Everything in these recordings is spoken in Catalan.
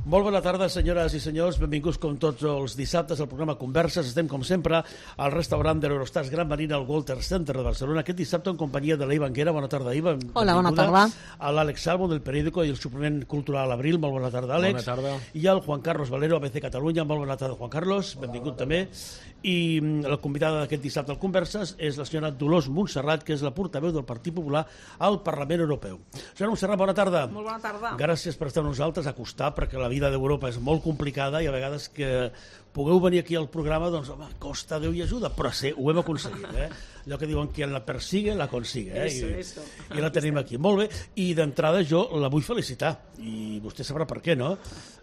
Molt bona tarda, senyores i senyors. Benvinguts com tots els dissabtes al programa Converses. Estem, com sempre, al restaurant de l'Eurostars Gran Marina al Walter Center de Barcelona. Aquest dissabte en companyia de l'Iva Anguera. Bona tarda, Iva. Hola, bona tarda. A l'Àlex Salvo, del periòdico i el suplement cultural Abril. Molt bona tarda, Àlex. Bona tarda. I al Juan Carlos Valero, ABC Catalunya. Molt bona tarda, Juan Carlos. Benvingut també. I la convidada d'aquest dissabte al Converses és la senyora Dolors Montserrat, que és la portaveu del Partit Popular al Parlament Europeu. Senyora Montserrat, bona tarda. Molt bona tarda. Gràcies per estar amb nosaltres a costar, perquè la vida d'Europa és molt complicada i a vegades que pugueu venir aquí al programa, doncs, home, costa Déu i ajuda, però sí, ho hem aconseguit, Allò que diuen que la persigue, la consigue, Eso. I la tenim aquí. Molt bé, i d'entrada jo la vull felicitar, i vostè sabrà per què, no?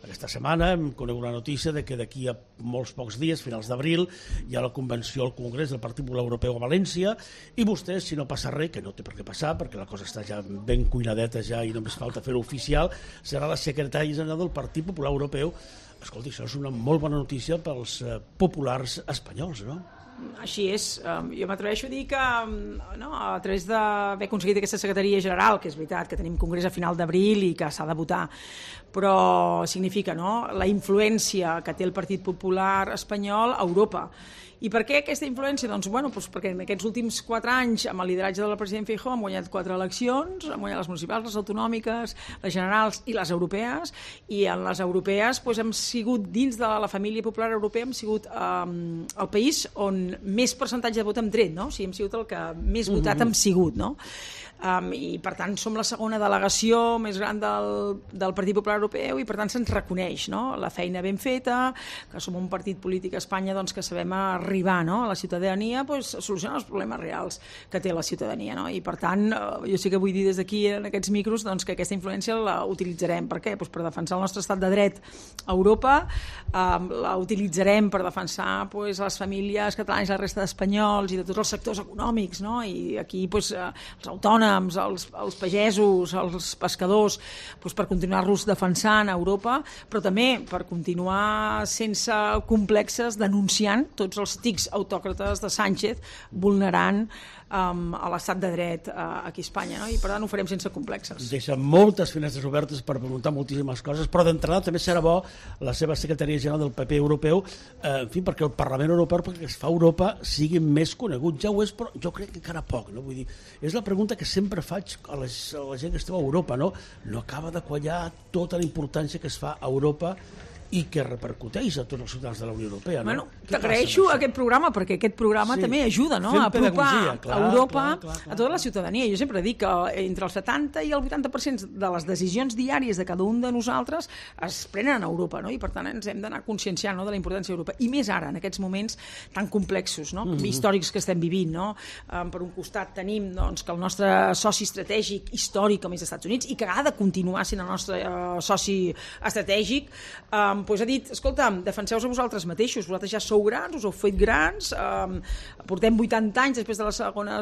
Aquesta setmana hem conegut la notícia de que d'aquí a molts pocs dies, finals d'abril, hi ha la convenció al Congrés del Partit Popular Europeu a València, i vostè, si no passa res, que no té per què passar, perquè la cosa està ja ben cuinadeta ja i només falta fer-ho oficial, serà la secretària general del Partit Popular Europeu. Escolti, això és una molt bona notícia pels populars espanyols, no? Així és. Jo m'atreveixo a dir que a través d'haver aconseguit aquesta secretaria general, que és veritat que tenim congrés a final d'abril i que s'ha de votar, però significa la influència que té el Partit Popular espanyol a Europa. I per què aquesta influència? Doncs, perquè en aquests últims 4 anys, amb el lideratge del president Feijóo, hem guanyat 4 eleccions, hem guanyat les municipals, les autonòmiques, les generals i les europees, i en les europees hem sigut, dins de la família popular europea, hem sigut el país on més percentatge de vot hem tret, no? O sigui, hem sigut el que més votat hem sigut, no? I per tant som la segona delegació més gran del Partit Popular Europeu i per tant se'ns reconeix la feina ben feta, que som un partit polític a Espanya que sabem arribar a la ciutadania a solucionar els problemes reals que té la ciutadania, i per tant jo sí que vull dir des d'aquí en aquests micros que aquesta influència la utilitzarem. Per què? Per defensar el nostre estat de dret a Europa, la utilitzarem per defensar les famílies catalanes i la resta d'espanyols i de tots els sectors econòmics, i aquí els autònoms, els pagesos, els pescadors, per continuar-los defensant a Europa, però també per continuar sense complexes denunciant tots els tics autòcrates de Sánchez vulnerant a l'estat de dret aquí a Espanya, i per tant ho farem sense complexes. Deixa moltes finestres obertes per preguntar moltíssimes coses, però d'entrada també serà bo la seva secretaria general del PP europeu, en fi, perquè el Parlament Europeu, perquè es fa a Europa, sigui més conegut. Ja ho és, però jo crec que encara poc, no? Vull dir, és la pregunta que sempre faig a la gent que esteu a Europa, no? No acaba de quallar tota la importància que es fa a Europa i que repercuteix a tots els ciutadans de la Unió Europea, no? T'agraeixo aquest programa, perquè aquest programa també ajuda a apropar Europa a tota la ciutadania. Jo sempre dic que entre el 70 i el 80% de les decisions diàries de cada un de nosaltres es prenen a Europa, i per tant ens hem d'anar conscienciant de la importància d'Europa, i més ara, en aquests moments tan complexos, històrics que estem vivint, Per un costat tenim que el nostre soci estratègic històric, com és els Estats Units, i que ha de continuar sent el nostre soci estratègic, ha dit, escolta, defenseu-vos a vosaltres mateixos, vosaltres ja sou grans, us heu fet grans, portem 80 anys després de la Segona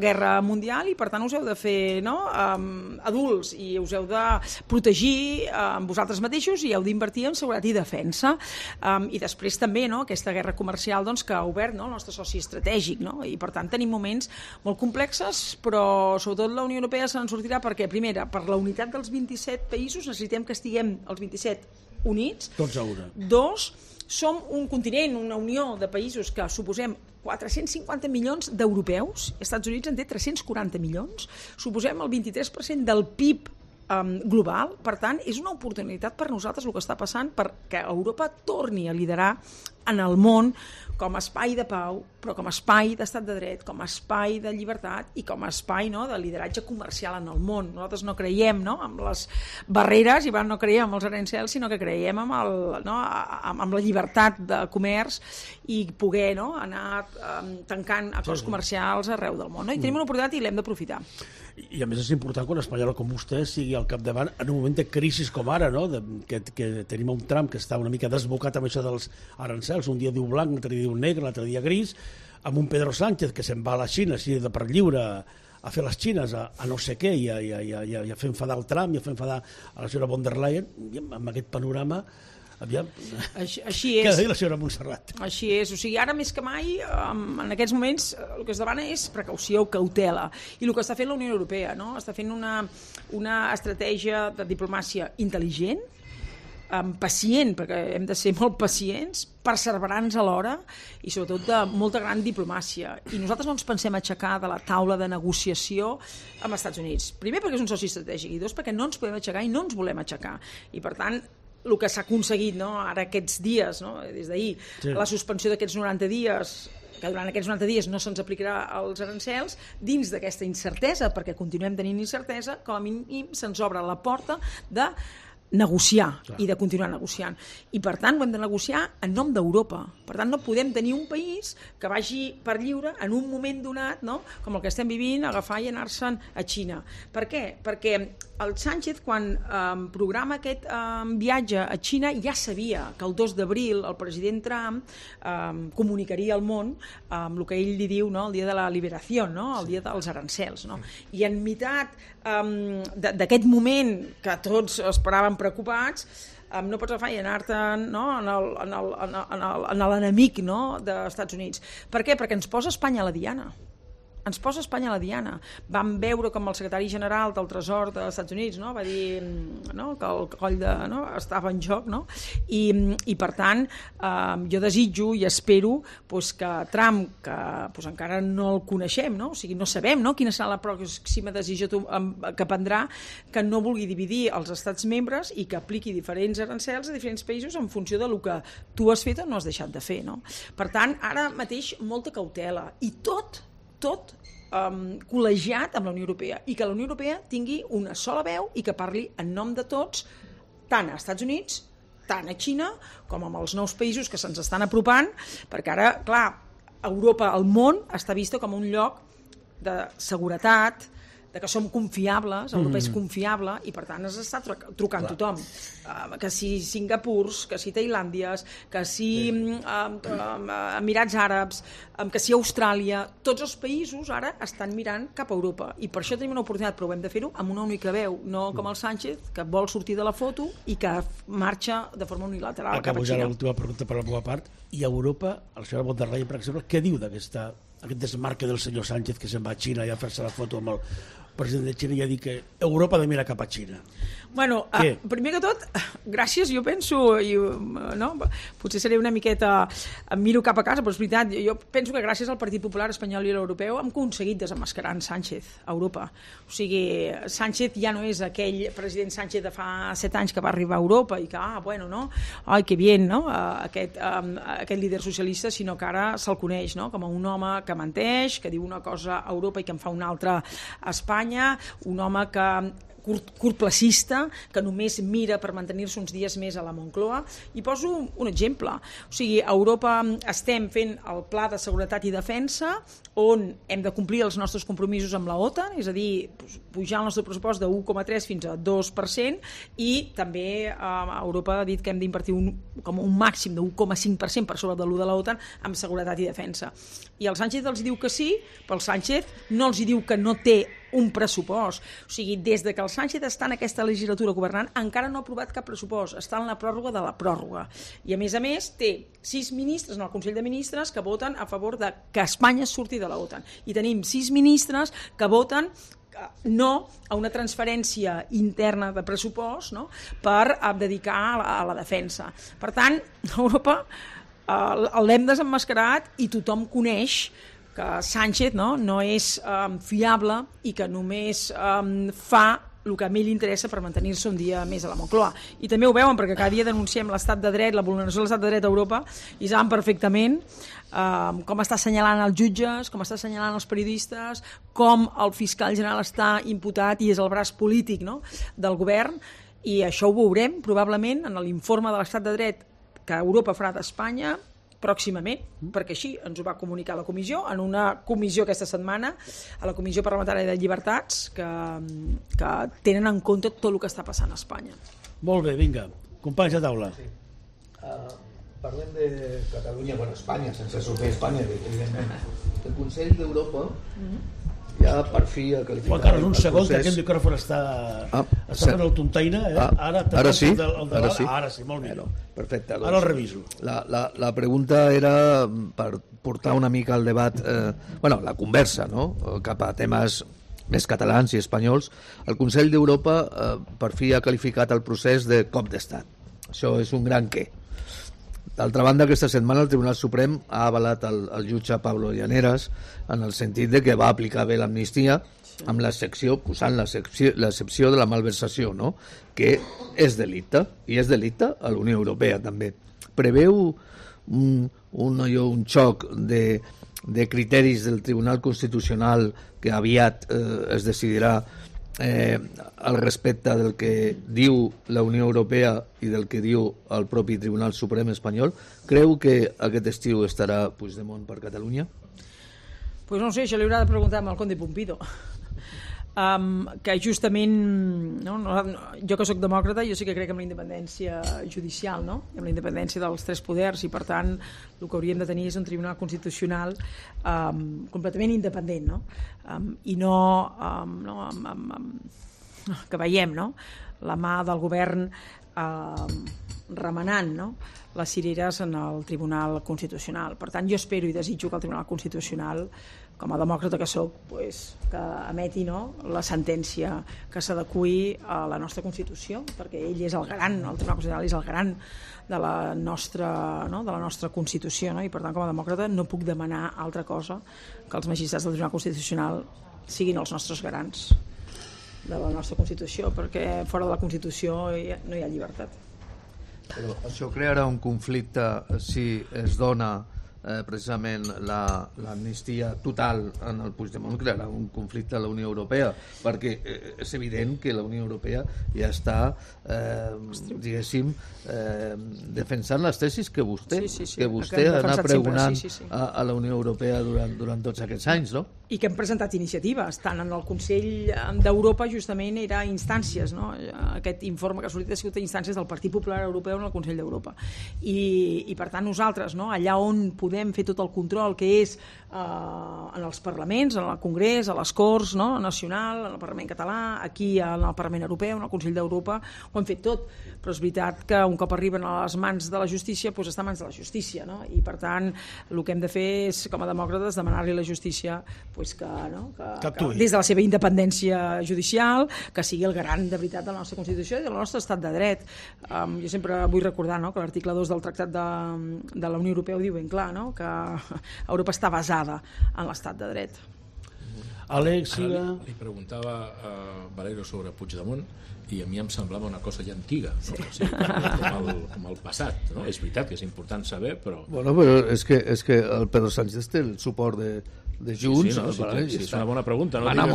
Guerra Mundial i per tant us heu de fer adults i us heu de protegir vosaltres mateixos i heu d'invertir en seguretat i defensa. I després també aquesta guerra comercial que ha obert el nostre soci estratègic, i per tant tenim moments molt complexes, però sobretot la Unió Europea se n'en sortirà perquè, primera, per la unitat dels 27 països necessitem que estiguem els 27 units. Tots a una. 2, som un continent, una unió de països que suposem 450 milions d'europeus, els Estats Units en té 340 milions, suposem el 23% del PIB global, per tant és una oportunitat per nosaltres el que està passant perquè Europa torni a liderar en el món com a espai de pau, però com a espai d'estat de dret, com a espai de llibertat i com a espai de lideratge comercial en el món. Nosaltres no creiem amb les barreres i no creiem amb els aranzels, sinó que creiem amb la llibertat de comerç i poder anar tancant acords comercials arreu del món. I tenim una oportunitat i l'hem d'aprofitar. I a més és important que un espanyol com vostè sigui al capdavant en un moment de crisi com ara, que tenim un Trump que està una mica desbocat amb això dels arancels, un dia diu blanc, l'altre dia diu negre, l'altre dia gris, amb un Pedro Sánchez que se'n va a la Xina així de per lliure a fer les xines, a no sé què, i a fer enfadar el Trump, i a fer enfadar a la senyora von der Leyen, i amb aquest panorama Aviam. Així és. Què ha dit la senyora Montserrat? Així és. O sigui, ara més que mai, en aquests moments, el que es demana és precaució, cautela. I el que està fent la Unió Europea, no? Està fent una estratègia de diplomàcia intel·ligent, pacient, perquè hem de ser molt pacients, perseverants alhora i sobretot de molta gran diplomàcia. I nosaltres no ens pensem aixecar de la taula de negociació amb els Estats Units. Primer perquè és un soci estratègic i dos perquè no ens podem aixecar i no ens volem aixecar. I per tant, el que s'ha aconseguit ara aquests dies, des d'ahir, la suspensió d'aquests 90 dies, que durant aquests 90 dies no se'ns aplicarà els arancels, dins d'aquesta incertesa, perquè continuem tenint incertesa, com a mínim se'ns obre la porta de negociar i de continuar negociant. I per tant ho hem de negociar en nom d'Europa. Per tant no podem tenir un país que vagi per lliure en un moment donat, com el que estem vivint, agafar i anar-se'n a Xina. Per què? Perquè el Sánchez, quan programa aquest viatge a Xina, ja sabia que el 2 d'abril el president Trump comunicaria al món amb el que ell li diu el dia de la liberació, el dia dels arancels. I en meitat d'aquest moment que tots esperàvem preocupats, no pots agafar i anar-te'n en l'enemic dels Estats Units. Per què? Perquè ens posa Espanya a la diana. Ens posa Espanya a la diana. Vam veure com el secretari general del Tresor dels Estats Units va dir que el coll estava en joc, i per tant jo desitjo i espero que Trump, que encara no el coneixem, o sigui, no sabem quina serà la pròxima decisió que prendrà, que no vulgui dividir els estats membres i que apliqui diferents arancels a diferents països en funció del que tu has fet o no has deixat de fer. Per tant, ara mateix molta cautela i tot col·legiat amb la Unió Europea i que la Unió Europea tingui una sola veu i que parli en nom de tots, tant als Estats Units, tant a Xina, com amb els nous països que se'ns estan apropant, perquè ara, clar, Europa, el món, està vista com un lloc de seguretat, de que som confiables, Europa és confiable i per tant es està trucant tothom, que si Singapurs, que si Tailàndies, que si Emirats Àrabs, que si Austràlia, tots els països ara estan mirant cap a Europa i per això tenim una oportunitat, però hem de fer-ho amb una única veu, no com el Sánchez, que vol sortir de la foto i que marxa de forma unilateral cap a Xina. Acabo ja l'última pregunta per la meva part. I a Europa, el senyor von der Leyen, per exemple, què diu d'aquest desmarque del senyor Sánchez que se'n va a Xina i a fer-se la foto amb el president de Xina i ha dit que Europa ha de mirar cap a Xina? Bueno, primer que tot, gràcies, jo penso, potser seré una miqueta, em miro cap a casa, però és veritat, jo penso que gràcies al Partit Popular Espanyol i a l'Europeu hem aconseguit desemmascarar en Sánchez a Europa. O sigui, Sánchez ja no és aquell president Sánchez de fa 7 anys que va arribar a Europa i que, ai, que bien, aquest líder socialista, sinó que ara se'l coneix com a un home que menteix, que diu una cosa a Europa i que en fa una altra a Espanya, un home que curtplacista, que només mira per mantenir-se uns dies més a la Moncloa. I poso un exemple. O sigui, a Europa estem fent el Pla de Seguretat i Defensa, on hem de complir els nostres compromisos amb la OTAN, és a dir, pujar el nostre pressupost de 1,3 fins a 2%, i també Europa ha dit que hem d'invertir com un màxim de 1,5% per sobre de l'1 de la OTAN en seguretat i defensa. I el Sánchez els diu que sí, però el Sánchez no els diu que no té un pressupost. O sigui, des de que el Sánchez està en aquesta legislatura governant, encara no ha aprovat cap pressupost, està en la pròrroga de la pròrroga. I a més té 6 ministres en el Consell de Ministres que voten a favor de que Espanya surti de la OTAN. I tenim 6 ministres que voten no a una transferència interna de pressupost per dedicar a la defensa. Per tant, Europa l'hem desemmascarat i tothom coneix que Sánchez no és fiable i que només fa el que a mi li interessa per mantenir-se un dia més a la Moncloa. I també ho veuen perquè cada dia denunciem l'estat de dret, la vulneració de l'estat de dret a Europa, i saben perfectament com està assenyalant els jutges, com està assenyalant els periodistes, com el fiscal general està imputat i és el braç polític del govern, i això ho veurem probablement en l'informe de l'estat de dret que Europa farà d'Espanya pròximament, perquè així ens ho va comunicar la comissió, en una comissió aquesta setmana, a la Comissió Parlamentària de Llibertats, que tenen en compte tot el que està passant a Espanya. Molt bé, vinga, companys de taula. Sí. Parlem de Catalunya, Espanya, sense sortir Espanya, evidentment. El Consell d'Europa ja per fi ha qualificat... Juan Carlos, un segon, que aquest micròfon està fent el tontaina, Ara sí? Ara sí, molt millor. Perfecte. Ara el reviso. La pregunta era per portar una mica el debat, la conversa, cap a temes més catalans i espanyols. El Consell d'Europa per fi ha qualificat el procés de cop d'estat. Això és un gran què. D'altra banda, aquesta setmana el Tribunal Suprem ha avalat el jutge Pablo Llaneras en el sentit de que va aplicar bé l'amnistia amb l'excepció, posant l'excepció de la malversació, no? Que és delicte, i és delicte a la Unió Europea també. Preveu un xoc de criteris del Tribunal Constitucional que aviat es decidirà al respecte del que diu la Unió Europea i del que diu el propi Tribunal Suprem espanyol. Creu que aquest estiu estarà Puigdemont per Catalunya? Pues no sé, això li haurà de preguntar amb el Conde Pumpido. Que justament jo que sóc demòcrata, jo sí que crec en la independència judicial, no? En la independència dels tres poders, i per tant el que hauríem de tenir és un tribunal constitucional completament independent, no? I no que veiem, no? La mà del govern remenant, no? Les cireres en el Tribunal Constitucional. Per tant, jo espero i desitjo que el Tribunal Constitucional, com a demòcrata que soc, que emeti la sentència que s'adeqüi a la nostra Constitució, perquè ell és el garant, el Tribunal Constitucional és el garant de la nostra Constitució, no? I per tant, com a demòcrata, no puc demanar altra cosa que els magistrats del Tribunal Constitucional siguin els nostres garants de la nostra Constitució, perquè fora de la Constitució no hi ha llibertat. Però això crearà un conflicte si es dona precisament l'amnistia total en el Puigdemont, crearà un conflicte a la Unió Europea, perquè és evident que la Unió Europea ja està diguéssim defensant les tesis que vostè ha anat pregonant a la Unió Europea durant tots aquests anys, no? I que hem presentat iniciatives, tant en el Consell d'Europa justament era instàncies, no? Aquest informe que ha sortit ha sigut a instàncies del Partit Popular Europeu en el Consell d'Europa, i per tant nosaltres, no? Allà on podem fer tot el control que és en els parlaments, en el Congrés, a les Corts, no? Nacional, en el Parlament català, aquí en el Parlament Europeu, en el Consell d'Europa, ho hem fet tot, però és veritat que un cop arriben a les mans de la justícia doncs està a mans de la justícia, no? I per tant el que hem de fer és, com a demòcrates, demanar-li a la justícia que des de la seva independència judicial, que sigui el garant de veritat de la nostra Constitució i del nostre estat de dret. Jo sempre vull recordar que l'article 2 del Tractat de la Unió Europea ho diu ben clar, no? Que Europa està basada en l'estat de dret. Àlex, li preguntava a Valero sobre Puigdemont i a mi em semblava una cosa ja antiga, no? O sigui, com el passat, no? És veritat que és important saber, però... Bueno, però és que el Pedro Sánchez té el suport de Junts. Sí, és una bona pregunta. Va anar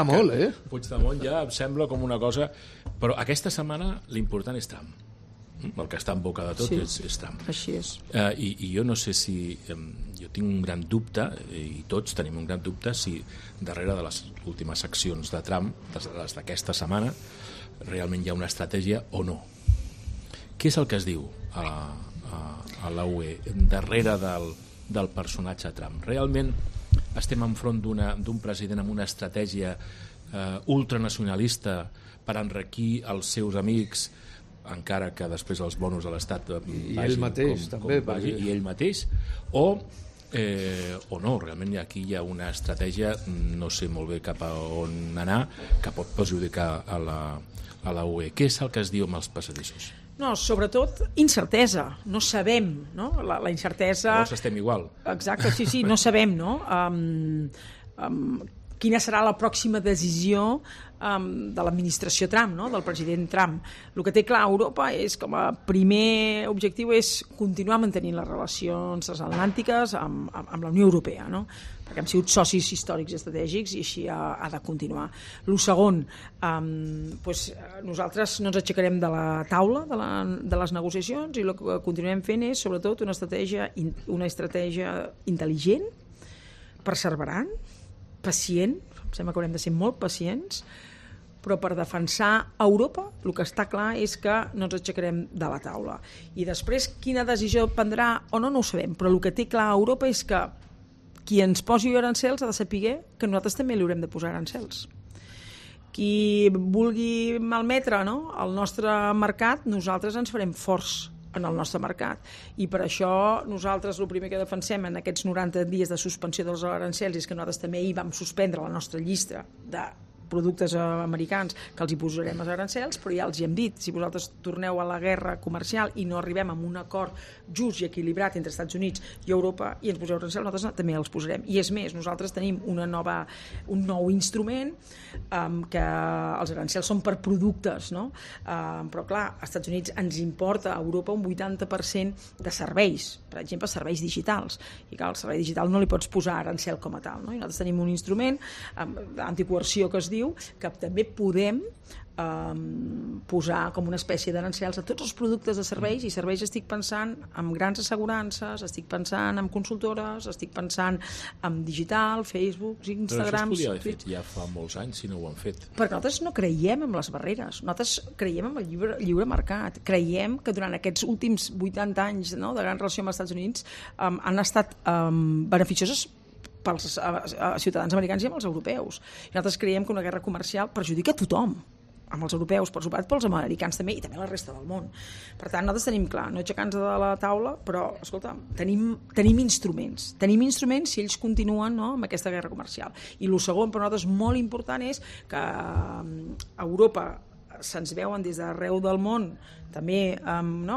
molt, Puigdemont ja em sembla com una cosa... Però aquesta setmana l'important és Trump. El que està en boca de tot és Trump. Així és. I jo no sé si... Jo tinc un gran dubte, i tots tenim un gran dubte, si darrere de les últimes accions de Trump, les d'aquesta setmana, realment hi ha una estratègia o no. Què és el que es diu a la UE darrere del personatge Trump? Realment estem enfront d'un president amb una estratègia ultranacionalista per enriquir els seus amics, encara que després els bonus de l'Estat i ell mateix també vagi, i ell mateix, o no, realment aquí hi ha una estratègia, no sé molt bé cap a on anar, que pot perjudicar a la UE. Què és el que es diu amb els passadissos? No, sobretot incertesa, no sabem, no? La incertesa... Llavors estem igual. Exacte, sí, no sabem, no? Quina serà la pròxima decisió de l'administració Trump, no? Del president Trump. El que té clar Europa és, com a primer objectiu, és continuar mantenint les relacions transatlàntiques amb la Unió Europea, no? Perquè hem sigut socis històrics i estratègics i així ha de continuar. El segon, nosaltres no ens aixecarem de la taula de les negociacions, i el que continuem fent és, sobretot, una estratègia intel·ligent, perseverant, pacient, em sembla que haurem de ser molt pacients, però per defensar Europa el que està clar és que no ens aixecarem de la taula. I després quina decisió prendrà o no ho sabem, però el que té clar Europa és que qui ens posi arancels ha de saber que nosaltres també li haurem de posar arancels. Qui vulgui malmetre, no, el nostre mercat, nosaltres ens farem forts en el nostre mercat, i per això nosaltres el primer que defensem en aquests 90 dies de suspensió dels arancels és que nosaltres també hi vam suspendre la nostra llista de productes americans que els hi posarem els arancels, però ja els hi hem dit, si vosaltres torneu a la guerra comercial i no arribem a un acord just i equilibrat entre Estats Units i Europa i ens poseu arancels, nosaltres també els posarem. I és més, nosaltres tenim un nou instrument que els arancels són per productes, no? Però clar, als Estats Units ens importa a Europa un 80% de serveis, per exemple serveis digitals, i clar, al servei digital no li pots posar arancel com a tal, no? I nosaltres tenim un instrument d'anticoerció que es diu que també podem posar com una espècie d'arancels a tots els productes de serveis, i serveis estic pensant en grans assegurances, estic pensant en consultores, estic pensant en digital, Facebook, Instagram... Però això es podia haver fet ja fa molts anys si no ho han fet. Perquè nosaltres no creiem en les barreres, nosaltres creiem en el lliure mercat, creiem que durant aquests últims 80 anys, no, de gran relació amb els Estats Units han estat beneficioses pels ciutadans americans i amb els europeus. I nosaltres creiem que una guerra comercial perjudica a tothom, amb els europeus, per suposat, pels americans també, i també la resta del món. Per tant, nosaltres tenim clar, no aixecar-nos de la taula, però, escolta, tenim instruments si ells continuen, no, amb aquesta guerra comercial. I el segon, per nosaltres, molt important és que a Europa se'ns veuen des d'arreu del món també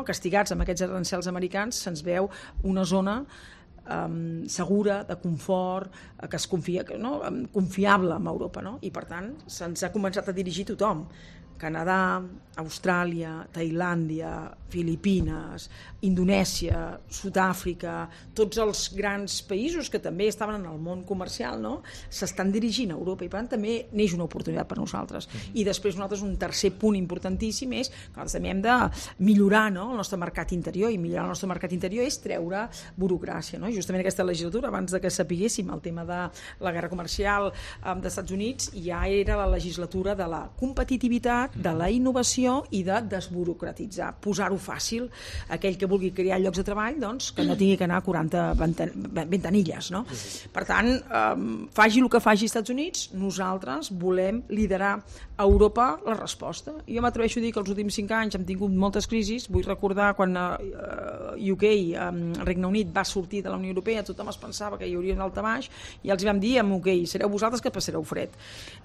castigats amb aquests arancels americans, se'ns veu una zona segura, de confort, que es confia, confiable amb Europa, no? I per tant se'ns ha començat a dirigir tothom. Canadà, Austràlia, Tailàndia, Filipines, Indonèsia, Sud-àfrica, tots els grans països que també estaven en el món comercial, no? S'estan dirigint a Europa, i per tant també neix una oportunitat per nosaltres. I després nosaltres un tercer punt importantíssim és que nosaltres també hem de millorar, no, el nostre mercat interior, i millorar el nostre mercat interior és treure burocràcia, no? Justament aquesta legislatura, abans de que sapiguéssim el tema de la guerra comercial dels Estats Units, ja era la legislatura de la competitivitat, de la innovació i de desburocratitzar, posar-ho fàcil, aquell que vulgui crear llocs de treball, doncs, que no tingui que anar a 40 ventanilles, no? Per tant, faci el que faci als Estats Units, nosaltres volem liderar a Europa la resposta. Jo m'atreveixo a dir que els últims 5 anys hem tingut moltes crisis. Vull recordar quan UK, Regne Unit, va sortir de la Unió Europea, tothom es pensava que hi hauria un daltabaix, i els vam dir amb UK, sereu vosaltres que passareu fred.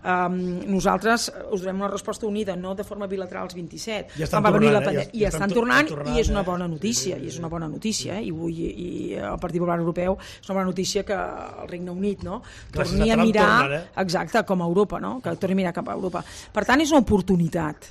Nosaltres us donem una resposta unida, no de forma bilateral als 27. Ja estan tornant, i és una bona notícia, i i el Partit Popular Europeu és una bona notícia que el Regne Unit, no, torni a mirar exacte, com a Europa, no, que torni a mirar cap a Europa. Per tant, és una oportunitat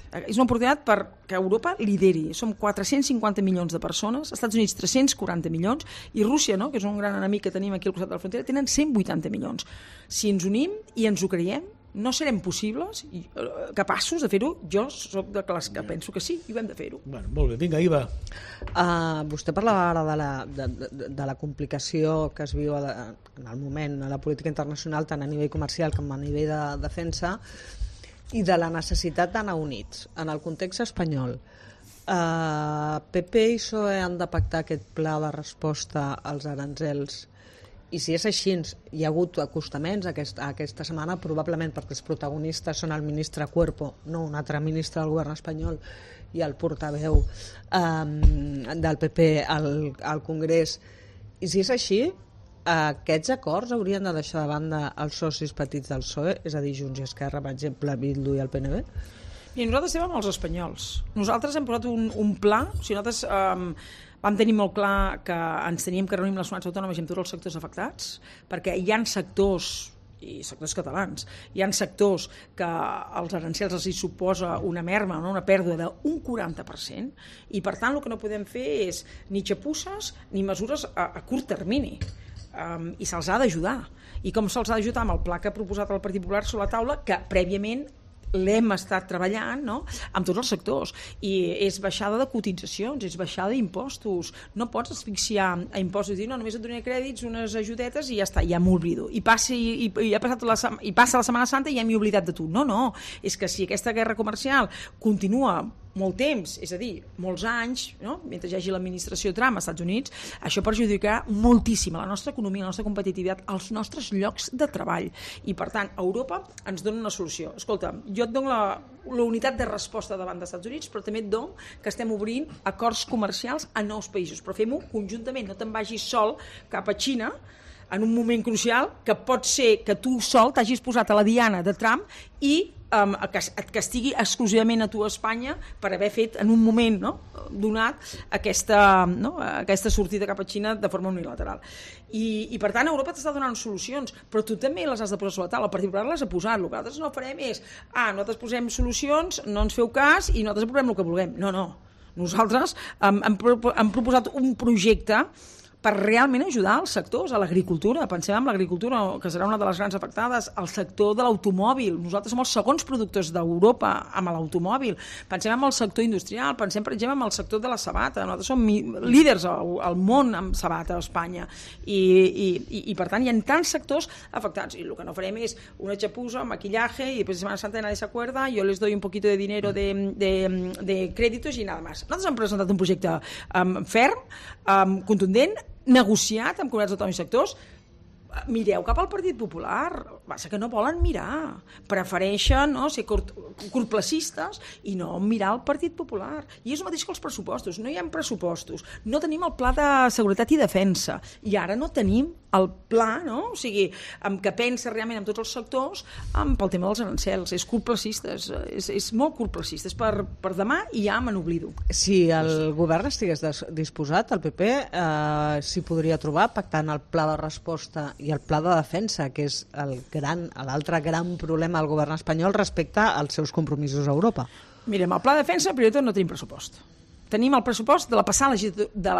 perquè Europa lideri. Som 450 milions de persones, Estats Units 340 milions, i Rússia, no, que és un gran enemic que tenim aquí al costat de la frontera, tenen 180 milions. Si ens unim i ens ho creiem, no serem possibles, capaços de fer-ho? Jo soc de les que penso que sí, i ho hem de fer-ho. Bueno, molt bé, vinga, Iva. Vostè parlava ara de la complicació que es viu en el moment a la política internacional, tant a nivell comercial com a nivell de defensa, i de la necessitat d'anar units. En el context espanyol, PP i PSOE han de pactar aquest pla de resposta als arancels, i si és així, hi ha hagut acostaments aquesta setmana, probablement perquè els protagonistes són el ministre Cuerpo, no un altre ministre del govern espanyol, i el portaveu del PP al Congrés. I si és així, aquests acords haurien de deixar de banda els socis petits del PSOE, és a dir, Junts i Esquerra, per exemple, Bildu i el PNB? I nosaltres estem amb els espanyols. Nosaltres hem posat un pla, o sigui, nosaltres vam tenir molt clar que ens teníem que reunir amb les comunitats autònomes i amb tots els sectors afectats, perquè hi ha sectors, i sectors catalans, hi ha sectors que els arancels els hi suposa una merma, no? Una pèrdua d'un 40%, i per tant el que no podem fer és ni xapusses ni mesures a curt termini. I se'ls ha d'ajudar. I com se'ls ha d'ajudar? Amb el pla que ha proposat el Partit Popular sobre la taula, que prèviament l'hem estat treballant, no?, amb tots els sectors, i és baixada de cotitzacions, és baixada d'impostos. No pots asfixiar a impostos i dir, no, només et donaré crèdits, unes ajudetes i ja està, ja m'oblido. I passa la Setmana Santa i ja m'he oblidat de tu. No, és que si aquesta guerra comercial continua molt temps, és a dir, molts anys, no?, mentre hi hagi l'administració Trump als Estats Units, això perjudicarà moltíssim la nostra economia, la nostra competitivitat, els nostres llocs de treball. I per tant, Europa ens dona una solució. Escolta, jo et dono la unitat de resposta davant dels Estats Units, però també et dono que estem obrint acords comercials a nous països, però fem-ho conjuntament, no te'n vagis sol cap a Xina en un moment crucial que pot ser que tu sol t'hagis posat a la diana de Trump i que et castigui exclusivament a tu a Espanya per haver fet en un moment donat aquesta sortida cap a Xina de forma unilateral. I per tant Europa t'està donant solucions, però tu també les has de posar sobre la taula. El Partit Popular les ha posat. El que nosaltres no farem és nosaltres posem solucions, no ens feu cas i nosaltres aprovem el que vulguem. No. Nosaltres hem proposat un projecte per realment ajudar els sectors, a l'agricultura. Pensem en l'agricultura, que serà una de les grans afectades, al sector de l'automòbil. Nosaltres som els segons productors d'Europa amb l'automòbil. Pensem en el sector industrial, pensem, per exemple, en el sector de la sabata. Nosaltres som líders al món amb sabata a Espanya. I per tant, hi ha tants sectors afectats. I el que no farem és una xapusa, maquillaje, i després de Semana Santa nadie se acuerda, yo les doy un poquito de dinero de créditos i nada más. Nosaltres hem presentat un projecte ferm, contundent, negociat amb comunitats autònomes i sectors. Mireu cap al Partit Popular, passa que no volen mirar, prefereixen ser curtplacistes i no mirar el Partit Popular. I és el mateix que els pressupostos, no hi ha pressupostos, no tenim el pla de seguretat i defensa, i ara no tenim el pla, o sigui, que pensa realment en tots els sectors pel tema dels arancels. És curtplacista, és molt curtplacista, és per demà i ja me n'oblido. Si el govern estigués disposat, el PP s'hi podria trobar pactant el pla de resposta i el pla de defensa, que és l'altre gran problema del govern espanyol respecte als seus compromisos a Europa. Mirem, el pla de defensa, primer de tot, no tenim pressupost. Tenim el pressupost de la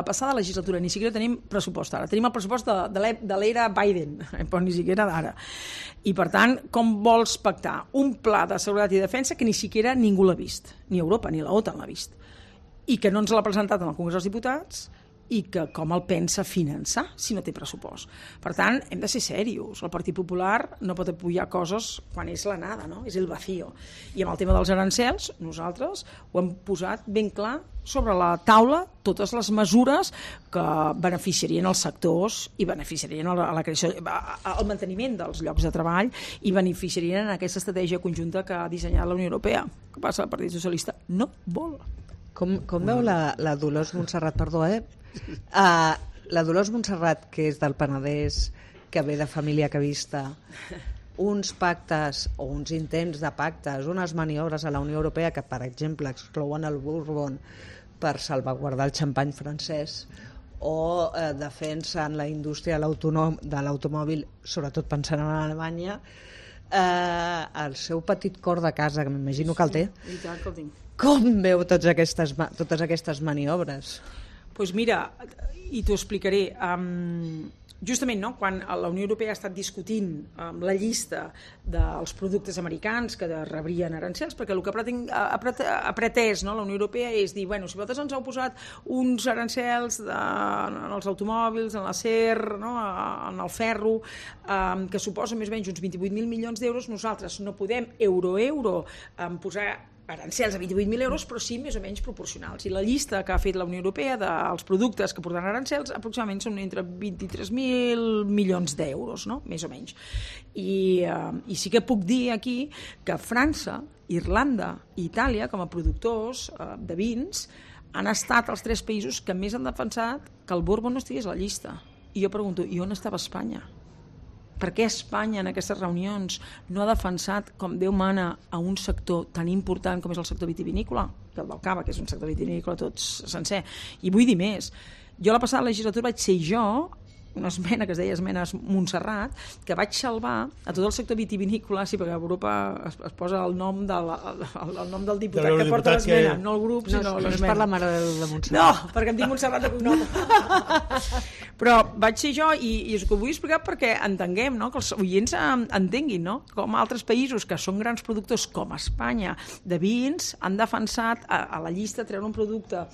passada legislatura, ni siquiera tenim pressupost ara. Tenim el pressupost de l'era Biden, però ni siquiera d'ara. I, per tant, com vols pactar un pla de seguretat i defensa que ni siquiera ningú l'ha vist, ni Europa ni l'OTAN l'ha vist, i que no ens l'ha presentat en el Congrés dels Diputats, i que com el pensa finançar si no té pressupost. Per tant, hem de ser serios. El Partit Popular no pot apoyar coses quan és la nada, és el vacío. I amb el tema dels arancels, nosaltres ho hem posat ben clar sobre la taula, totes les mesures que beneficiarien els sectors i beneficiarien a la creació, al manteniment dels llocs de treball i beneficiarien en aquesta estratègia conjunta que ha dissenyat la Unió Europea. Què passa? El Partit Socialista no vol. Com veu la Dolors Montserrat, la Dolors Montserrat, que és del Penedès, que ve de família cavista, uns pactes o uns intents de pactes, unes maniobres a la Unió Europea que, per exemple, exclouen el Bourbon per salvaguardar el xampany francès o defensen la indústria de l'automòbil, sobretot pensant en Alemanya, el seu petit cor de casa, que m'imagino que el té, com veu totes aquestes maniobres? Doncs mira, i t'ho explicaré. Justament, quan la Unió Europea ha estat discutint la llista dels productes americans que rebrien arancels, perquè el que ha pretès la Unió Europea és dir, si vosaltres ens heu posat uns arancels en els automòbils, en l'acer, en el ferro, que suposen més o menys uns 28.000 milions d'euros, nosaltres no podem euro posar arancels a 28.000 euros, però sí més o menys proporcionals. I la llista que ha fet la Unió Europea dels productes que porten arancels aproximadament són entre 23.000 milions d'euros, més o menys. I sí que puc dir aquí que França, Irlanda i Itàlia, com a productors de vins, han estat els 3 països que més han defensat que el Bourbon no estigués a la llista. I jo pregunto, i on estava Espanya? Per què Espanya en aquestes reunions no ha defensat com Déu mana a un sector tan important com és el sector vitivinícola, que el del cava, que és un sector vitivinícola tot sencer? I vull dir més, jo la passada legislatura vaig ser jo, una esmena que es deia esmenes Montserrat, que vaig salvar a tot el sector vitivinícola, sí, perquè a Europa es posa el nom del diputat que porta l'esmena, no el grup, sinó l'esmena. No és per la Mare de Déu de Montserrat. No, perquè em dic Montserrat de cognom. Però vaig ser jo, i us ho vull explicar perquè entenguem, que els oients entenguin, com altres països que són grans productors, com Espanya, de vins, han defensat a la llista treure un producte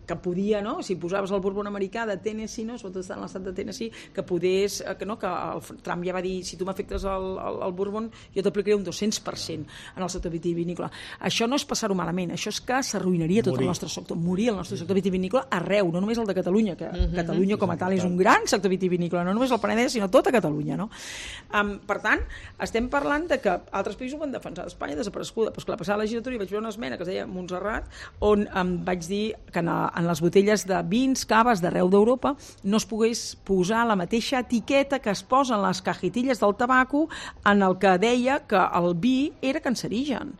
que podia, si posaves el Bourbon americà de Tennessee, sobretot en l'estat de Tennessee, que podés, que el Trump ja va dir, si tu m'afectes el Bourbon, jo t'aplicaré un 200% en el sector vitivinícola. Això no és passar-ho malament, això és que s'arruïnaria tot el nostre sector, morir el nostre sector vitivinícola arreu, no només el de Catalunya, que Catalunya com a tal és un gran sector vitivinícola, no només el Penedès, sinó tota Catalunya. Per tant, estem parlant de que altres països ho van defensar. Espanya desapareguda, però que la passada legislatura hi vaig veure una esmena que es deia Montserrat, on vaig dir que en les botelles de vins, caves d'arreu d'Europa no es pogués posar la mateixa etiqueta que es posa en les cajetilles del tabaco en el que deia que el vi era cancerigen.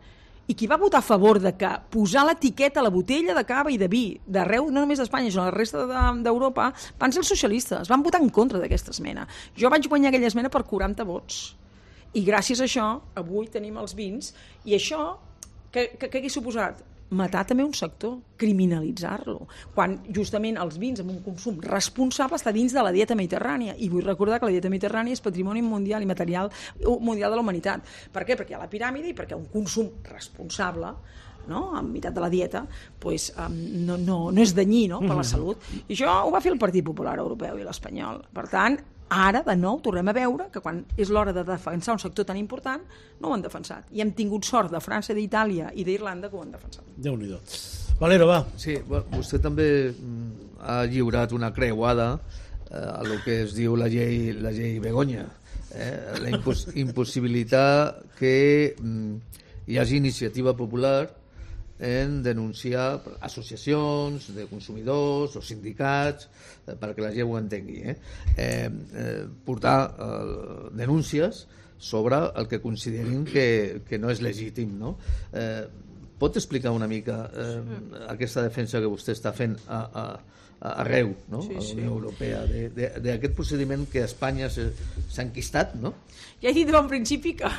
I qui va votar a favor de que posar l'etiqueta a la botella de cava i de vi d'arreu, no només d'Espanya, sinó la resta d'Europa, van ser els socialistes, van votar en contra d'aquesta esmena. Jo vaig guanyar aquella esmena per 40 vots. I gràcies a això, avui tenim els vins, i això, què hagués suposat? Matar també un sector, criminalitzar-lo, quan justament els vins amb un consum responsable està dins de la dieta mediterrània, i vull recordar que la dieta mediterrània és patrimoni mundial i material mundial de la humanitat. Per què? Perquè hi ha la piràmide i perquè un consum responsable, no? En meitat de la dieta, pues, no és danyí, no? Per la salut. I això ho va fer el Partit Popular Europeu i l'espanyol. Per tant, ara, de nou, tornem a veure que quan és l'hora de defensar un sector tan important, no ho han defensat. I hem tingut sort de França, d'Itàlia i d'Irlanda que ho han defensat. Déu-n'hi-do. Valero, va. Sí, vostè també ha lliurat una creuada a lo que es diu la llei Begoña. La impossibilitat que hi hagi iniciativa popular en denunciar associacions de consumidors o sindicats, perquè la gent ho entengui, portar denúncies sobre el que considerin que no és legítim, no? Pot explicar una mica aquesta defensa que vostè està fent arreu, no? A la Unió Europea, d'aquest procediment que a Espanya s'ha enquistat, no? Ja he dit en principi que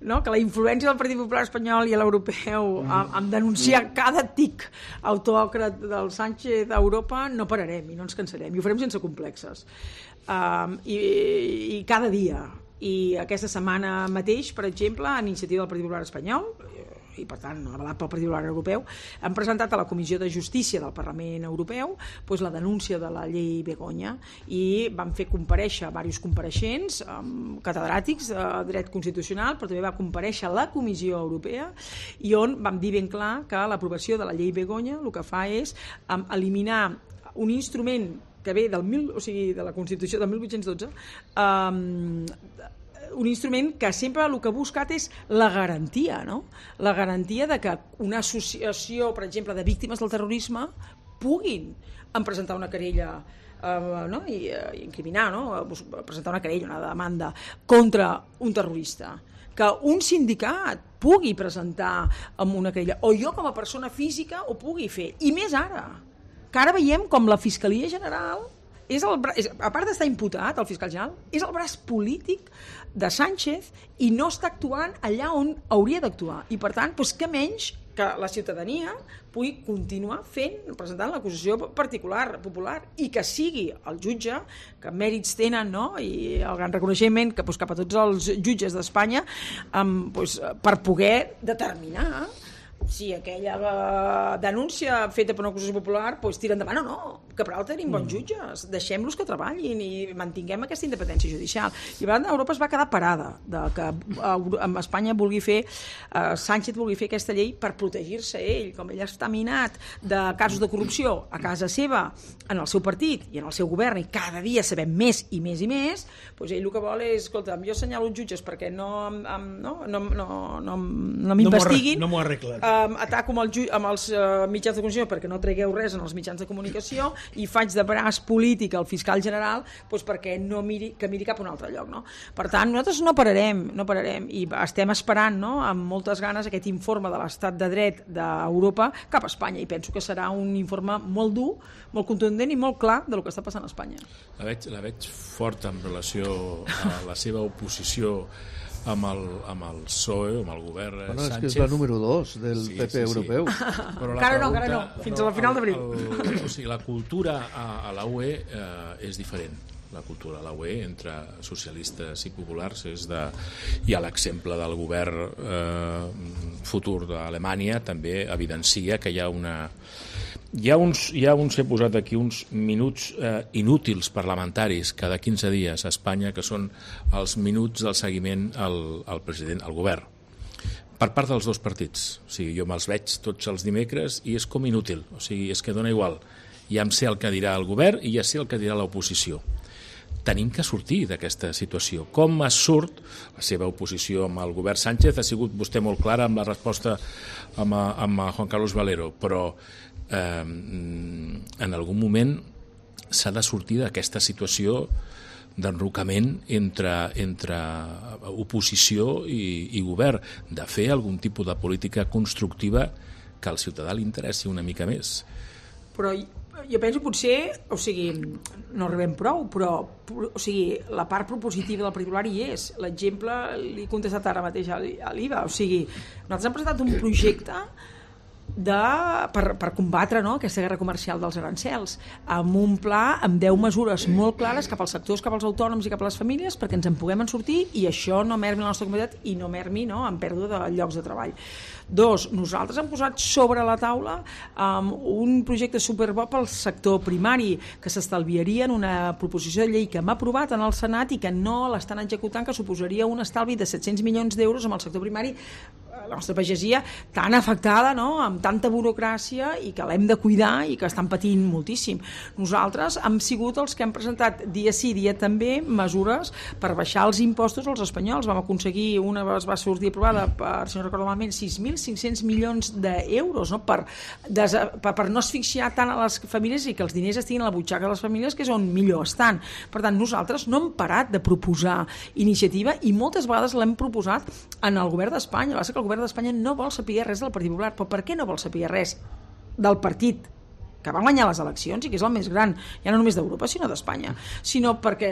la influència del Partit Popular espanyol i l'europeu en denunciar cada tic autòcrat del Sánchez a Europa no pararem i no ens cansarem, i ho farem sense complexes. I cada dia. I aquesta setmana mateix, per exemple, a iniciativa del Partit Popular espanyol, i per tant avalat pel Partit Popular Europeu, han presentat a la Comissió de Justícia del Parlament Europeu la denúncia de la llei Begoña, i van fer comparèixer diversos compareixents, catedràtics de dret constitucional, però també va comparèixer la Comissió Europea, i on vam dir ben clar que l'aprovació de la llei Begoña el que fa és eliminar un instrument que ve de la Constitució del 1812, un instrument que sempre el que ha buscat és la garantia, no? La garantia de que una associació, per exemple, de víctimes del terrorisme puguin presentar una querella i incriminar, presentar una querella, una demanda contra un terrorista, que un sindicat pugui presentar amb una querella, o jo com a persona física ho pugui fer, i més ara, que ara veiem com la Fiscalia General a part d'estar imputat, el fiscal general, és el braç polític de Sánchez i no està actuant allà on hauria d'actuar. I per tant, què menys que la ciutadania pugui continuar presentant l'acusació popular, i que sigui el jutge, que mèrits tenen, no? I el gran reconeixement que cap a tots els jutges d'Espanya per poder determinar si aquella denúncia feta per una acusació popular tira endavant o no, que per altre tenim bons jutges, deixem-los que treballin i mantinguem aquesta independència judicial. I a Europa es va quedar parada de que Espanya Sánchez vulgui fer aquesta llei per protegir-se ell, com ell està minat de casos de corrupció a casa seva, en el seu partit i en el seu govern, i cada dia sabem més i més i més, ell el que vol és, escolta'm, jo assenyalo els jutges perquè no m'investiguin, no m'ho arreglen, ataco amb els mitjans de comunicació perquè no tragueu res en els mitjans de comunicació, i faig de braç polític al fiscal general perquè que miri cap a un altre lloc, no? Per tant, nosaltres no pararem i estem esperant amb moltes ganes aquest informe de l'estat de dret d'Europa cap a Espanya, i penso que serà un informe molt dur, molt contundent i molt clar del que està passant a Espanya. La veig forta en relació a la seva oposició amb el PSOE, amb el govern Sánchez. És que és la número 2 del PP europeu. Encara no, fins a la final d'abril. O sigui, la cultura a la UE és diferent. La cultura a la UE entre socialistes i populars i l'exemple del govern futur d'Alemanya també evidencia que hi ha he posat aquí uns minuts inútils parlamentaris cada 15 dies a Espanya, que són els minuts del seguiment al president, al govern, per part dels dos partits. O sigui, jo me'ls veig tots els dimecres i és com inútil, o sigui, és que dona igual. Ja em sé el que dirà el govern i ja sé el que dirà l'oposició. Tenim que sortir d'aquesta situació. Com es surt? La seva oposició amb el govern Sánchez ha sigut vostè molt clara amb la resposta amb Juan Carlos Valero, però en algun moment s'ha de sortir d'aquesta situació d'enrocament entre oposició i govern, de fer algun tipus de política constructiva que al ciutadà li interessi una mica més. Però jo penso potser, o sigui, no arribem prou, però o sigui, la part propositiva del Partit Popular hi és. L'exemple l'he contestat ara mateix a l'IVA. O sigui, nosaltres hem presentat un projecte per combatre, no, aquesta guerra comercial dels arancels, amb un pla amb 10 mesures molt clares cap als sectors, cap als autònoms i cap a les famílies, perquè ens en puguem en sortir i això no mermi la nostra comunitat i no mermi, no, en pèrdua de llocs de treball. 2, nosaltres hem posat sobre la taula un projecte superbo pel sector primari, que s'estalviaria en una proposició de llei que hem aprovat en el Senat i que no l'estan executant, que suposaria un estalvi de 700 milions d'euros amb el sector primari, la nostra pagesia tan afectada, no?, amb tanta burocràcia i que l'hem de cuidar i que estan patint moltíssim. Nosaltres hem sigut els que hem presentat dia sí, dia també mesures per baixar els impostos als espanyols. Vam aconseguir, una va sortir aprovada per, si no recordo malament, 6.500 milions d'euros, no?, per no asfixiar tant a les famílies i que els diners estiguin a la butxaca de les famílies, que és on millor estan. Per tant, nosaltres no hem parat de proposar iniciativa i moltes vegades l'hem proposat en el govern d'Espanya. Va ser que el govern d'Espanya no vol saber res del Partit Popular. Però per què no vol saber res del partit que va guanyar les eleccions i que és el més gran, ja no només d'Europa sinó d'Espanya, sinó perquè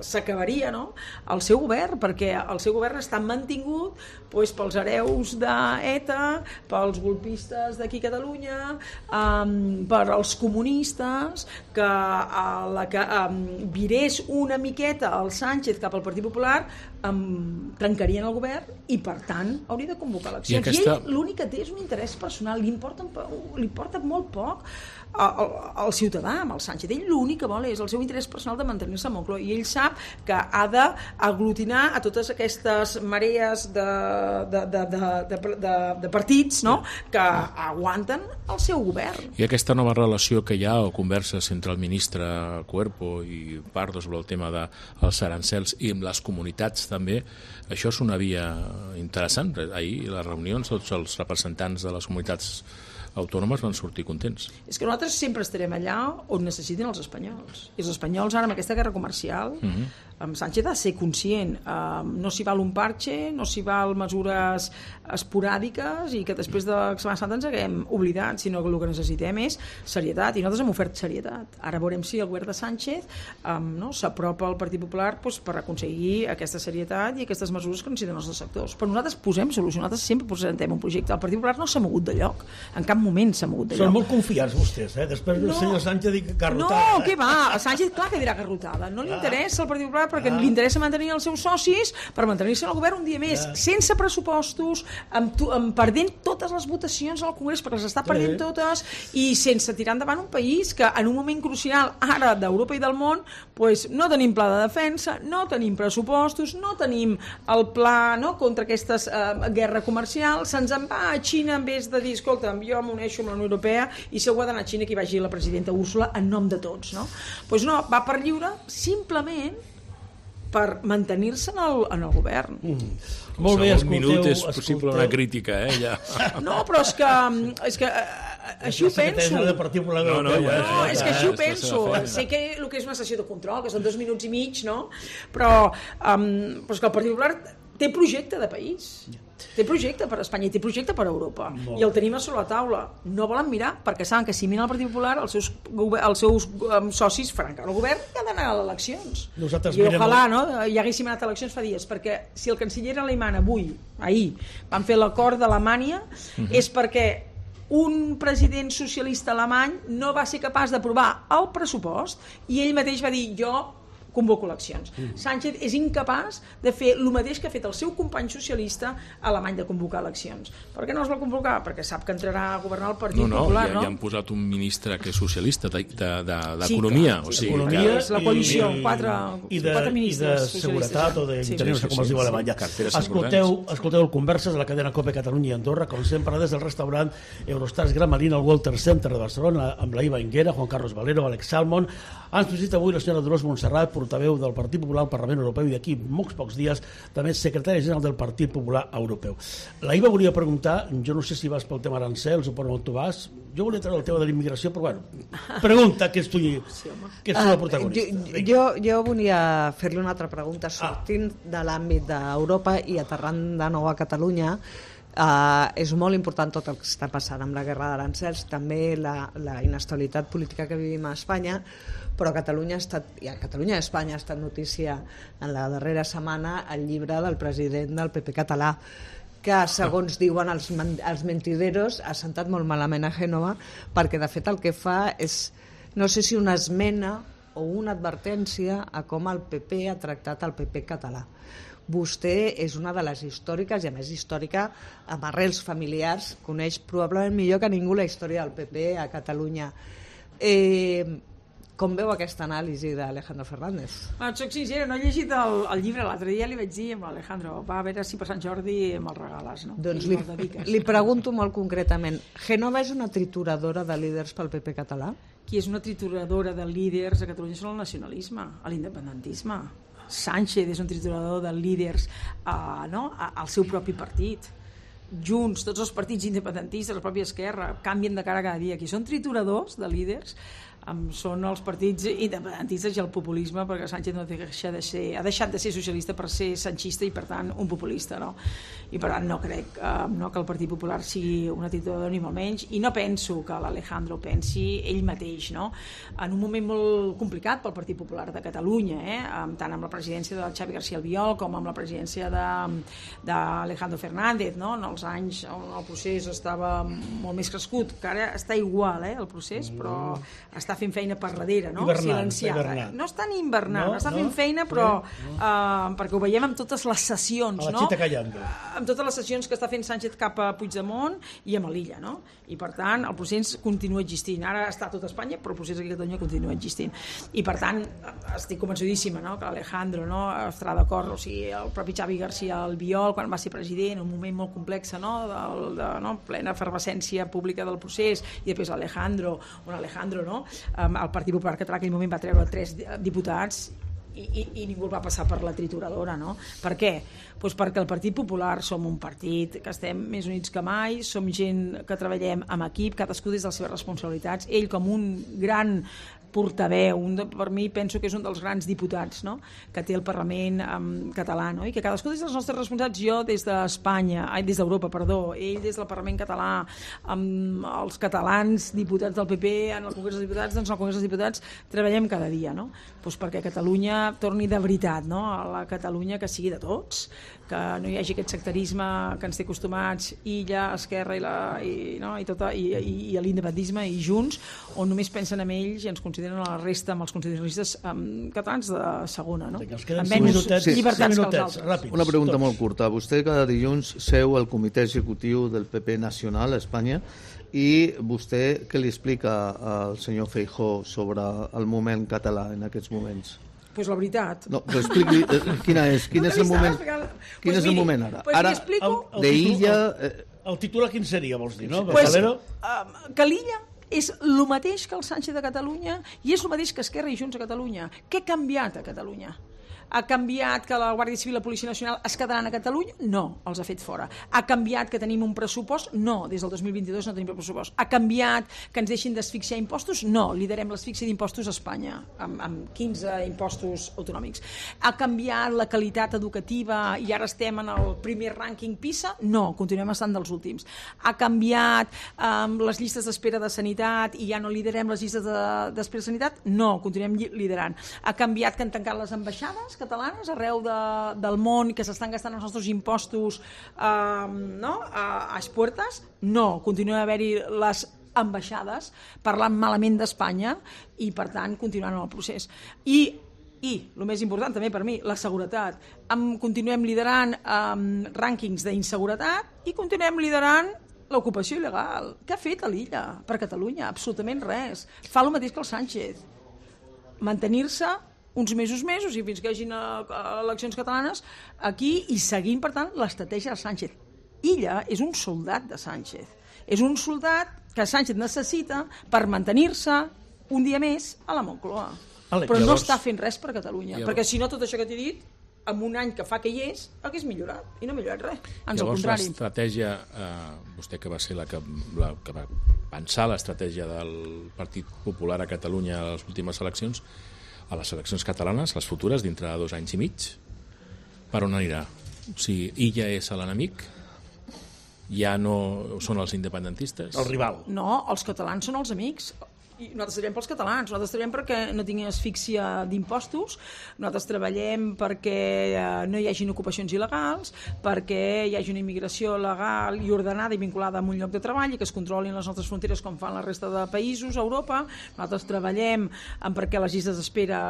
s'acabaria, no?, el seu govern, perquè el seu govern està mantingut doncs, pels hereus d'ETA, pels golpistes d'aquí a Catalunya, per als comunistes, que virés una miqueta el Sánchez cap al Partit Popular, trencarien el govern i per tant hauria de convocar eleccions. I ell l'únic que té és un interès personal, li importa molt poc al ciutadà amb el Sánchez. Ell l'únic que vol és el seu interès personal de mantenir-se a Moncloa i ell sap que ha d'aglutinar a totes aquestes marees de partits, no?, que aguanten el seu govern. I aquesta nova relació que hi ha o converses entre el ministre Cuerpo i Pardo sobre el tema dels arancels i amb les comunitats també, això és una via interessant. Ahir les reunions, tots els representants de les comunitats autònomes van sortir contents. És que nosaltres sempre estarem allà on necessiten els espanyols. I els espanyols ara amb aquesta guerra comercial, amb Sánchez ha de ser conscient. No s'hi val un parche, no s'hi val mesures esporàdiques i que després de Setmana Santa ens haguem oblidat, sinó que el que necessitem és serietat, i nosaltres hem ofert serietat. Ara veurem si el govern de Sánchez s'apropa al Partit Popular per aconseguir aquesta serietat i aquestes mesures que necessiten els dos sectors. Però nosaltres posem solució, nosaltres sempre presentem un projecte. El Partit Popular no s'ha mogut de lloc, en cap moment s'ha mogut de lloc. Són molt confiats vostès, després del senyor Sánchez dic garrotada. No, què va? A Sánchez clar que dirà garrotada. No li interessa el Partit Popular perquè li interessa mantenir els seus socis per mantenir-se en el govern un dia més, sense pressupostos, perdent totes les votacions al Congrés perquè les està perdent totes i sense tirar endavant un país que en un moment crucial ara d'Europa i del món no tenim pla de defensa, no tenim pressupostos, no tenim el pla contra aquesta guerra comercial, se'ns en va a Xina en vez de dir, escolta, jo m'uneixo amb la Unió Europea i si algú ha d'anar a Xina que hi vagi la presidenta Úrsula en nom de tots, no? Doncs no, va per lliure simplement per mantenir-se en el govern. Molt bé, escolteu... Un minut és possible una crítica, ja. No, però és que així ho penso. És que així ho penso. Sé que el que és una sessió de control, que són 2 minuts i mig, no? Però és que el Partit Popular té projecte de país. Té projecte per Espanya i té projecte per Europa. I el tenim a sobre la taula. No volen mirar perquè saben que si miren el Partit Popular els seus socis faran caure el govern i han d'anar a les eleccions. I ojalà hi haguéssim anat a eleccions fa dies, perquè si el canceller alemany ahir van fer l'acord d'Alemanya és perquè un president socialista alemany no va ser capaç d'aprovar el pressupost i ell mateix va dir jo convoco eleccions. Sánchez és incapaç de fer el mateix que ha fet el seu company socialista alemany de convocar eleccions. Per què no es vol convocar? Perquè sap que entrarà a governar el Partit Popular, no? Ja han posat un ministre que és socialista d'Economia. Economia és la coalició, 4 ministres socialistes. I de seguretat o d'interior, com es diu a Alemanya. Escolteu el Converses de la cadena COPE Catalunya i Andorra, com sempre des del restaurant Eurostars Gran Marina al Walter Center de Barcelona, amb la Iva Inguera, Juan Carlos Valero, Alex Salmon. Ens visita avui la senyora Dolors Montserrat, portaveu del Partit Popular al Parlament Europeu i d'aquí molts pocs dies també secretari general del Partit Popular Europeu. La Iva volia preguntar, jo no sé si vas pel tema arancels o per on tu vas, jo volia treure el tema de l'immigració, però bueno, pregunta que ets tu la protagonista. Jo volia fer-li una altra pregunta, sortint de l'àmbit d'Europa i aterrant de nou a Catalunya. És molt important tot el que està passant amb la guerra d'arancels, també la inestabilitat política que vivim a Espanya, però Catalunya i Espanya ha estat notícia en la darrera setmana el llibre del president del PP català, que segons diuen els mentideros ha sentat molt malament a Gènova, perquè de fet el que fa és, no sé si una esmena o una advertència a com el PP ha tractat el PP català. Vostè és una de les històriques, i a més històrica amb arrels familiars, coneix probablement millor que ningú la història del PP a Catalunya. Com veu aquesta anàlisi d'Alejandro Fernández? Soc sincera, no he llegit el llibre, l'altre dia li vaig dir amb l'Alejandro, va a veure si per Sant Jordi me'l regales, no? Doncs li pregunto molt concretament, Gènova és una trituradora de líders pel PP català? Qui és una trituradora de líders a Catalunya són el nacionalisme, l'independentisme. Sánchez és un triturador de líders al seu propi partit. Junts, tots els partits independentistes, la pròpia Esquerra, canvien de cara cada dia. Qui són trituradors de líders són els partits independentistes i el populisme, perquè Sánchez ha deixat de ser socialista per ser sanchista i per tant un populista, no? I per tant no crec que el Partit Popular sigui una trituradora ni molt menys, i no penso que l'Alejandro pensi ell mateix, no? En un moment molt complicat pel Partit Popular de Catalunya, tant amb la presidència de Xavi García Albiol com amb la presidència d'Alejandro Fernández, no? En els anys on el procés estava molt més crescut, que ara està igual el procés, però està fent feina per darrere, no? Silenciada. No està ni invernant, està fent feina, però perquè ho veiem amb totes les sessions, no? Amb totes les sessions que està fent Sánchez cap a Puigdemont i amb l'Illa, no? I per tant el procés continua existint. Ara està a tot Espanya, però el procés aquí a Catalunya continua existint. I per tant estic convençudíssima, no? Que Alejandro estarà d'acord, o sigui, el propi Xavi García Albiol, quan va ser president, un moment molt complex, no? Plena efervescència pública del procés, i després l'Alejandro, no? El Partit Popular Català en aquell moment va treure 3 diputats i ningú el va passar per la trituradora, no? Per què? Doncs perquè el Partit Popular som un partit que estem més units que mai, som gent que treballem en equip, cadascú des de les seves responsabilitats, ell com un gran portaveu, per mi penso que és un dels grans diputats, no? Que té el Parlament català, no? I que cadascú des dels nostres responsabilitats, jo des d'Europa, ell des del Parlament català, amb els catalans diputats del PP en el Congrés dels Diputats, doncs al Congrés dels Diputats treballem cada dia, no? Doncs perquè Catalunya torni de veritat, no? A la Catalunya que sigui de tots, que no hi hagi aquest sectarisme que ens té acostumats, Illa, Esquerra i l'independentisme i Junts, on només pensen en ells i ens consideren a la resta amb els constitucionalistes catalans de segona, no? Amb menys llibertats que els altres. Una pregunta molt curta. Vostè cada dilluns seu al comitè executiu del PP nacional a Espanya i vostè què li explica al senyor Feijóo sobre el moment català en aquests moments? Pues la veritat. No, però expliqui quin és el moment. Quin és el moment ara? Ara, d'Illa... El titular quin seria, vols dir, no? Que l'Illa és el mateix que el Sánchez de Catalunya i és el mateix que Esquerra i Junts a Catalunya. Què ha canviat a Catalunya? Ha canviat que la Guàrdia Civil i la Policia Nacional es quedaran a Catalunya? No, els ha fet fora. Ha canviat que tenim un pressupost? No, des del 2022 no tenim pressupost. Ha canviat que ens deixin d'asfixiar impostos? No, liderem l'asfíxia d'impostos a Espanya, amb 15 impostos autonòmics. Ha canviat la qualitat educativa i ara estem en el primer rànquing PISA? No, continuem estant dels últims. Ha canviat les llistes d'espera de sanitat i ja no liderem les llistes d'espera de sanitat? No, continuem liderant. Ha canviat que han tancat les ambaixades catalanes arreu del món que s'estan gastant els nostres impostos a expuertas? No, continuen a haver-hi les ambaixades parlant malament d'Espanya i per tant continuant en el procés. I el més important també per mi, la seguretat. Continuem liderant rànquings d'inseguretat i continuem liderant l'ocupació il·legal. Què ha fet a l'Illa per Catalunya? Absolutament res. Fa el mateix que el Sánchez. Mantenir-se uns mesos i fins que hi hagin eleccions catalanes aquí i seguint, per tant, l'estratègia de Sánchez. Illa és un soldat de Sánchez. És un soldat que Sánchez necessita per mantenir-se un dia més a la Moncloa. però no està fent res per Catalunya, perquè si no tot això que t'he dit, en un any que fa que hi és, hagués millorat, i no ha millorat res, ans al contrari. Llavors l'estratègia, vostè que va ser la que va pensar l'estratègia del Partit Popular a Catalunya a les últimes eleccions, a les eleccions catalanes, les futures, dintre de 2 anys i mig, per on anirà? O sigui, ella és l'enemic? Ja no són els independentistes? El rival. No, els catalans són els amics. I nosaltres treballem pels catalans, nosaltres treballem perquè no tinguin asfíxia d'impostos, nosaltres treballem perquè no hi hagin ocupacions il·legals, perquè hi hagi una immigració legal i ordenada i vinculada a un lloc de treball i que es controlin les nostres fronteres com fan la resta de països a Europa. Nosaltres treballem perquè les llistes d'espera,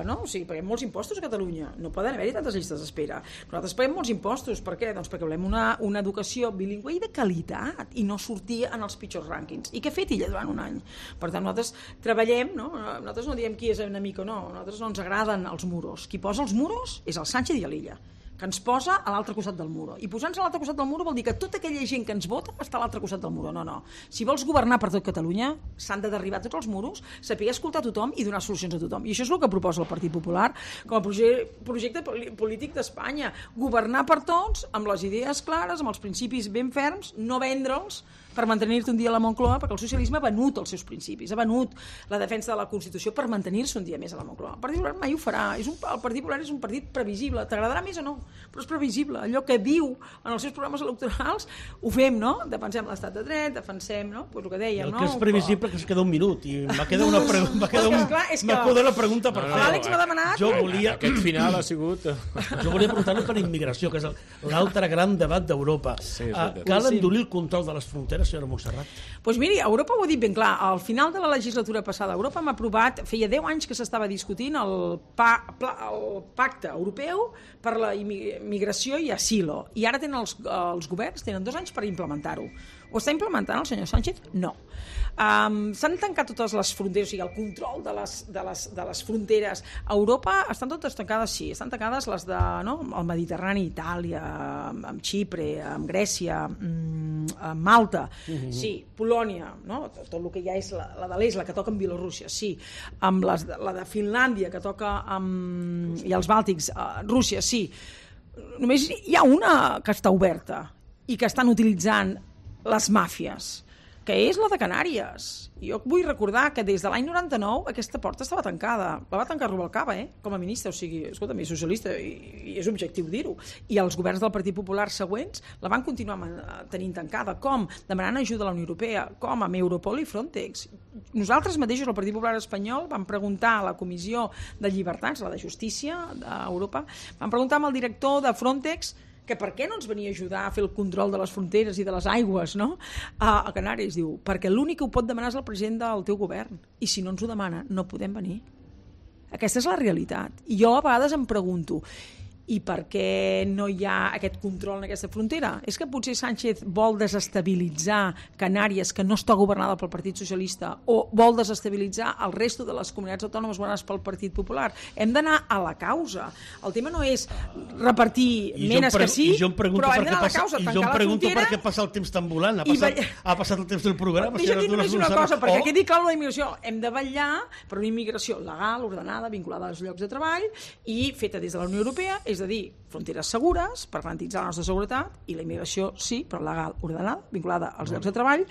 no? O sigui, paguem molts impostos a Catalunya, no poden haver-hi tantes llistes d'espera. Nosaltres paguem molts impostos, per què? Doncs perquè volem una educació bilingüe i de qualitat i no sortir en els pitjors rànquings. I què ha fet ella durant un any? Per tant, nosaltres treballem, no? Nosaltres no diem qui és enemic o no, nosaltres no ens agraden els muros. Qui posa els muros és el Sánchez i l'Illa, que ens posa a l'altre costat del muro. I posar-nos a l'altre costat del muro vol dir que tota aquella gent que ens vota està a l'altre costat del muro. No. Si vols governar per tot Catalunya, s'han de derribar tots els muros, saber escoltar tothom i donar solucions a tothom. I això és el que proposa el Partit Popular com a projecte polític d'Espanya. Governar per tots, amb les idees clares, amb els principis ben ferms, no vendre'ls per mantenir-te un dia a la Moncloa, perquè el socialisme ha venut els seus principis, ha venut la defensa de la Constitució per mantenir-se un dia més a la Moncloa. El Partit Popular mai ho farà. El Partit Popular és un partit previsible. T'agradarà més o no? Però és previsible. Allò que diu en els seus programes electorals ho fem, no? Defensem l'estat de dret, defensem, no? Pues el que dèiem, no? El que és previsible que es queda un minut i m'ha quedat la pregunta per fer. L'Àlex m'ha demanat... Aquest final ha sigut... Jo volia preguntar-li per immigració, que és l'altre gran debat d'Europa. Cal endurir el control de les fronteres, senyora Montserrat? Doncs miri, Europa ho ha dit ben clar. Al final de la legislatura passada, Europa hem aprovat, feia 10 anys que s'estava discutint el pacte europeu per la migració i asilo. I ara tenen els governs, tenen 2 anys per implementar-ho. Ho està implementant el senyor Sánchez? No. S'han tancat totes les fronteres, o sigui, el control de les fronteres a Europa estan totes tancades, sí, estan tancades les de, no? El Mediterrani, Itàlia, amb Xipre, amb Grècia, amb Malta, sí, Polònia, no? Tot el que ja és la de l'est, la que toca amb Bielorússia, sí, amb la de Finlàndia, que toca amb, i els Bàltics, Rússia, sí. Només hi ha una que està oberta i que estan utilitzant les màfies, que és la de Canàries. Jo vull recordar que des de l'any 99 aquesta porta estava tancada. La va tancar Rubalcaba, com a ministre, o sigui, escolta'm, és socialista i és objectiu dir-ho. I els governs del Partit Popular següents la van continuar tenint tancada. Com? Demanant ajuda a la Unió Europea, com amb Europol i Frontex. Nosaltres mateixos, el Partit Popular espanyol, vam preguntar a la Comissió de Llibertats, la de Justícia d'Europa, vam preguntar al director de Frontex que per què no ens venia a ajudar a fer el control de les fronteres i de les aigües, no? A Canàries, diu, perquè l'únic que ho pot demanar és el president del teu govern, i si no ens ho demana, no podem venir. Aquesta és la realitat. I jo a vegades em pregunto, i per què no hi ha aquest control en aquesta frontera? És que potser Sánchez vol desestabilitzar Canàries, que no està governada pel Partit Socialista, o vol desestabilitzar el resto de les comunitats autònomes governades pel Partit Popular? Hem d'anar a la causa. El tema no és repartir menes que sí, però hem d'anar a la causa, tancar la frontera... I jo em pregunto per què passa el temps tan volant. Ha passat el temps del programa. Deixa dir només una cosa, perquè quedi clar la immigració. Hem de vetllar per una immigració legal, ordenada, vinculada als llocs de treball i feta des de la Unió Europea, és a dir, fronteres segures per garantir la nostra seguretat, i la immigració sí, però legal, ordenada, vinculada als llocs de treball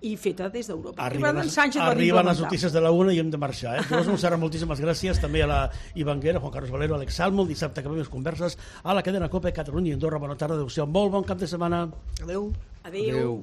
i feta des d'Europa. Arriben les notícies de la una i hem de marxar. Dolors Montserrat, moltíssimes gràcies. També a la Ivanguera, Juan Carlos Valero, Alex Salmo. Dissabte acabem les converses a la cadena COPE, Catalunya i Andorra. Bona tarda, adéu-siau. Molt bon cap de setmana. Adéu. Adéu.